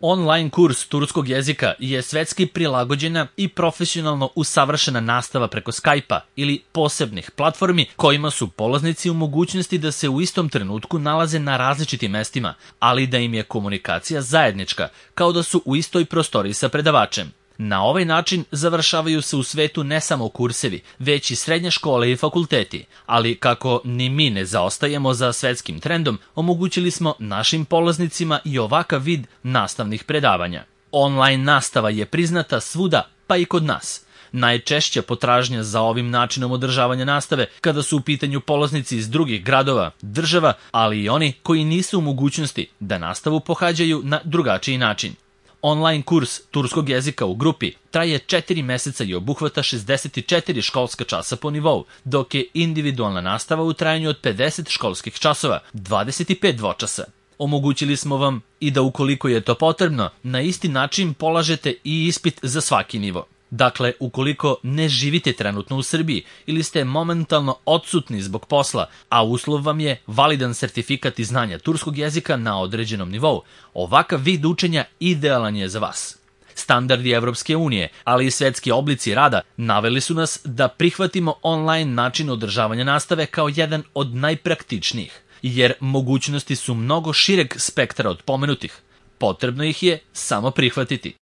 Online kurs turskog jezika je svetski prilagođena i profesionalno usavršena nastava preko Skype-a ili posebnih platformi kojima su polaznici u mogućnosti da se u istom trenutku nalaze na različitim mestima, ali da im je komunikacija zajednička, kao da su u istoj prostoriji sa predavačem. Na ovaj način završavaju se u svetu ne samo kursevi, već i srednje škole i fakulteti, ali kako ni mi ne zaostajemo za svetskim trendom, omogućili smo našim polaznicima i ovakav vid nastavnih predavanja. Online nastava je priznata svuda, pa i kod nas. Najčešća potražnja za ovim načinom održavanja nastave kada su u pitanju polaznici iz drugih gradova, država, ali i oni koji nisu u mogućnosti da nastavu pohađaju na drugačiji način. Online kurs turskog jezika u grupi traje 4 meseca i obuhvata 64 školska časa po nivou, dok je individualna nastava u trajanju od 50 školskih časova, 25 dvočasa. Omogućili smo vam i da ukoliko je to potrebno, na isti način polažete i ispit za svaki nivo. Dakle, ukoliko ne živite trenutno u Srbiji ili ste momentalno odsutni zbog posla, a uslov vam je validan sertifikat iz znanja turskog jezika na određenom nivou, ovakav vid učenja idealan je za vas. Standardi Evropske unije, ali i svetski oblici rada naveli su nas da prihvatimo online način održavanja nastave kao jedan od najpraktičnijih, jer mogućnosti su mnogo šireg spektra od pomenutih. Potrebno ih je samo prihvatiti.